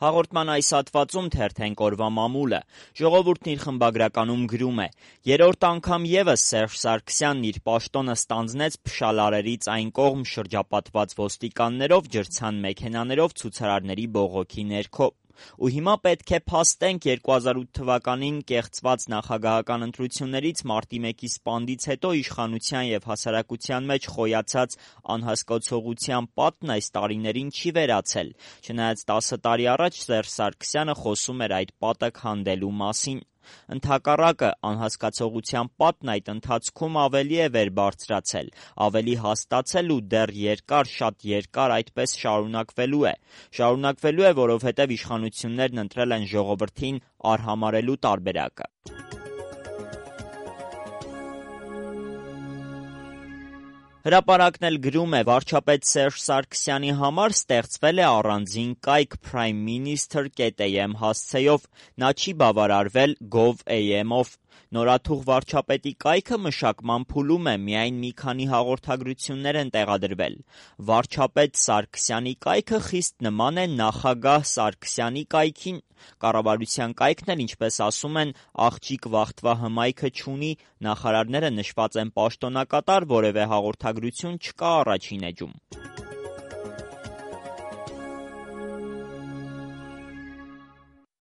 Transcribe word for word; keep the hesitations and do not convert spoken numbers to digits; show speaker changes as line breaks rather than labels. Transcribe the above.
Հաղորդման այս հատվածում թերթենք օրվա մամուլը։ Ժողովուրդն իր խմբագրականում գրում է. «Երրորդ անգամ ևս Սերժ Սարգսյանն իր պաշտոնը ստանձնեց փշալարերից այն կողմ շրջապատված ոստիկաններով, ջրցան մեքենաներով, ցուցարարների բողոքի ներքո։ Ու հիմա պետք է փաստենք երկու հազար ութ թվականին կեղծված նախագահական ընտրություններից մարտի մեկի սպանդից հետո իշխանության և հասարակության մեջ խոյացած անհասկացողության պատն այս տարիներին չի վերացել, չնայած տասը տարի առաջ Սերժ Սարգսյանը խոսում էր այդ պատը քանդելու մասին։ Ընդհակառակը, անհասկացողության պատն այդ ընթացքում ավելի է վեր բարձրացել, ավելի հաստացել ու դեռ երկար, շատ երկար այդպես շարունակվելու է։ Շարունակվելու է, որովհետև իշխանություններն ընտրել են ժողովրդին արհամարհելու տարբերակը»։ Հրապարակն էլ գրում է. «Վարչապետ Սերժ Սարգսյանի համար ստեղծվել է առանձին կայք prime minister dot a m հասցեով, նա չի բավարարվել gov dot a m-ով։ Նորաթուխ վարչապետի կայքը մշակման փուլում է, միայն մի քանի հաղորդագրություններ են տեղադրվել։ Վարչապետ Սարգսյանի կայքը խիստ նման է նախագահ Սարգսյանի կայքին։ Կառավարության կայքն էլ, ինչպես ասում են, աղջիկ Վախթվա հմայքը չունի, նախարարները նշված են պաշտոնակատար, որևէ հաղորդագրություն չկա առաջին էջում»։